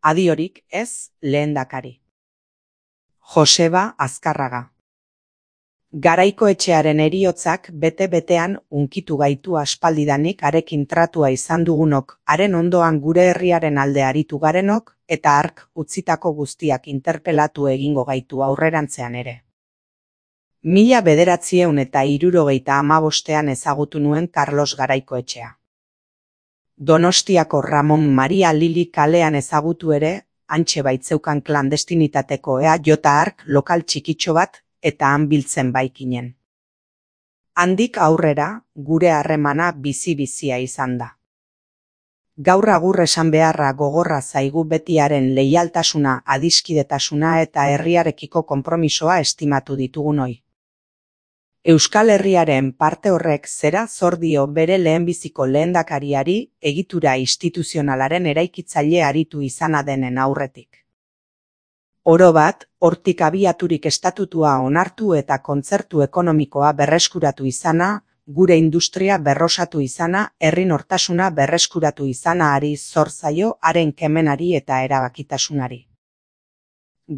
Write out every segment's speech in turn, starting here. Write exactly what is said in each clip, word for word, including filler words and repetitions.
Adiorik ez, lehendakari. Joseba Azkarraga. Garaikoetxearen heriotzak bete-betean hunkitu gaitu aspaldidanik harekin tratua izan dugunok, haren ondoan gure herriaren alde aritu garenok, eta hark utzitako guztiak interpelatu egingo gaitu aurrerantzean ere. Mila bederatziehun eta hirurogeita hamabostean ezagutu nuen Carlos Garaikoetxea. Donostiako Ramon Maria Lili kalean ezagutu ere, hantxe baitzeukan klandestinitateko ea jota hark lokal txikitxo bat eta han biltzen baikinen. Handik aurrera, gure harremana bizi-bizia izan da. Gaur agur esan beharra gogorra zaigu betiaren leialtasuna, adiskidetasuna eta herriarekiko konpromisoa estimatu ditugunoi. Euskal Herriaren parte horrek zera zor dio bere lehenbiziko lehendakariari egitura instituzionalaren eraikitzaile aritu izana denen aurretik. Oro bat, hortik abiaturik estatutua onartu eta kontzertu ekonomikoa berreskuratu izana, gure industria berrosatu izana, herri nortasuna berreskuratu izana ari zor zaio haren kemenari eta erabakitasunari.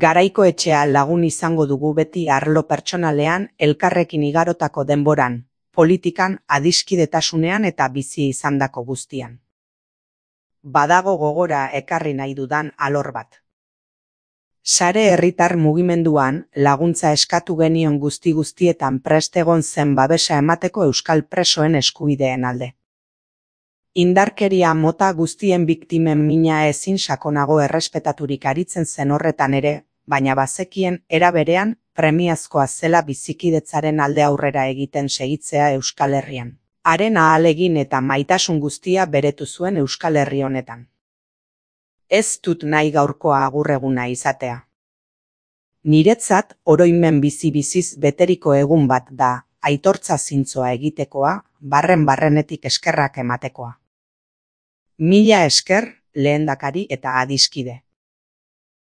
Garaikoetxea lagun izango dugu beti arlo pertsonalean, elkarrekin igarotako denboran, politikan, adiskidetasunean eta bizi izandako guztian. Badago gogora ekarri nahi dudan alor bat. Sare herritar mugimenduan laguntza eskatu genion guzti-guztietan prest egon zen babesa emateko euskal presoen eskubideen alde. Indarkeria mota guztien biktimen mina ezin sakonago errespetaturik aritzen zen horretan ere, baina bazekien era berean premiazkoa zela bizikidetzaren alde aurrera egiten segitzea Euskal Herrian. Haren ahalegin eta maitasun guztia beretu zuen Euskal Herri honetan. Ez dut nahi gaurkoa agurreguna izatea. Niretzat oroimen bizi-biziz beteriko egun bat da, aitortza zintzoa egitekoa, barren-barrenetik eskerrak ematekoa. Mila esker, lehendakari eta adiskide.